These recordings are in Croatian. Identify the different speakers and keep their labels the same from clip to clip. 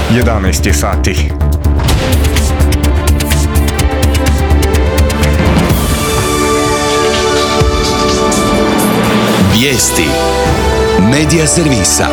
Speaker 1: 11 je sati.
Speaker 2: Vijesti Medija servisa.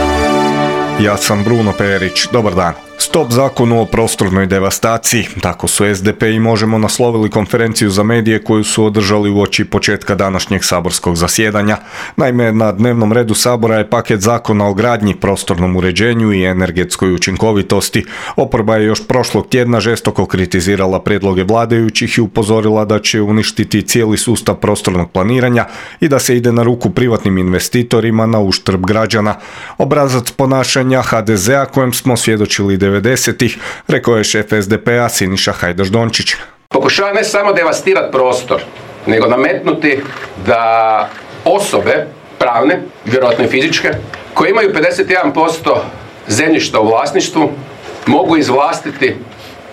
Speaker 1: Ja sam Bruno Perić, dobar dan. Stop zakonu o prostornoj devastaciji. Tako su SDP i Možemo naslovili konferenciju za medije koju su održali uoči početka današnjeg saborskog zasjedanja. Naime, na dnevnom redu Sabora je paket zakona o gradnji, prostornom uređenju i energetskoj učinkovitosti. Oporba je još prošlog tjedna žestoko kritizirala prijedloge vladajućih i upozorila da će uništiti cijeli sustav prostornog planiranja i da se ide na ruku privatnim investitorima na uštrb građana. Obrazac ponašanja HDZ-a kojem smo svjedočili 90-ih, rekao je šef SDP-a Siniša Hajdaš Dončić.
Speaker 3: Pokušava ne samo devastirati prostor, nego nametnuti da osobe, pravne, vjerojatno i fizičke, koje imaju 51% zemljišta u vlasništvu, mogu izvlastiti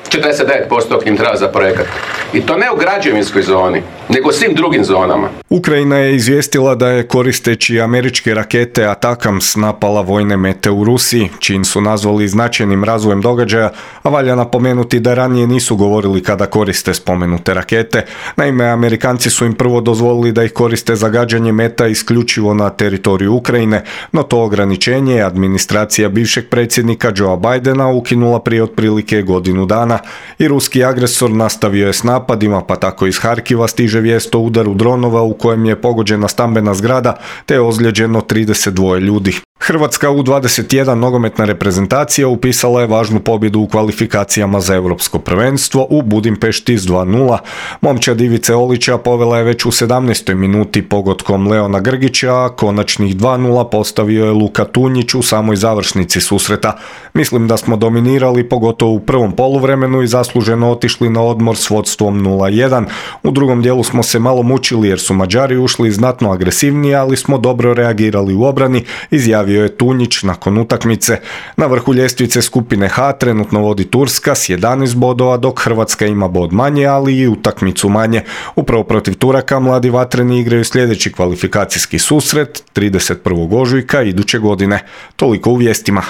Speaker 3: 49% im treba za projekat. I to ne u građevinskoj zoni, nego u svim drugim zonama.
Speaker 1: Ukrajina je izvijestila da je koristeći američke rakete Atakams napala vojne mete u Rusiji, čin su nazvali značajnim razvojem događaja, a valja napomenuti da ranije nisu govorili kada koriste spomenute rakete. Naime, Amerikanci su im prvo dozvolili da ih koriste za gađanje meta isključivo na teritoriju Ukrajine, no to ograničenje je administracija bivšeg predsjednika Joea Bidena ukinula prije otprilike godinu dana i ruski agresor nastavio je s napadima, pa tako iz Harkiva stiže vijest o udaru dronova u kojem je pogođena stambena zgrada te je ozlijeđeno 32 ljudi. Hrvatska U21 nogometna reprezentacija upisala je važnu pobjedu u kvalifikacijama za europsko prvenstvo u Budimpešti s 2:0. Momčad Ivice Olića povela je već u 17. minuti pogodkom Leona Grgića, a konačnih 2:0 postavio je Luka Tunjić u samoj završnici susreta. Mislim da smo dominirali, pogotovo u prvom poluvremenu i zasluženo otišli na odmor s vodstvom 0:1. U drugom dijelu smo se malo mučili jer su Mađari ušli znatno agresivnije, ali smo dobro reagirali u obrani, izjavio je Tunjić nakon utakmice. Na vrhu ljestvice skupine H trenutno vodi Turska s 11 bodova, dok Hrvatska ima bod manje, ali i utakmicu manje. Upravo protiv Turaka mladi vatreni igraju sljedeći kvalifikacijski susret 31. ožujka iduće godine. Toliko u vijestima.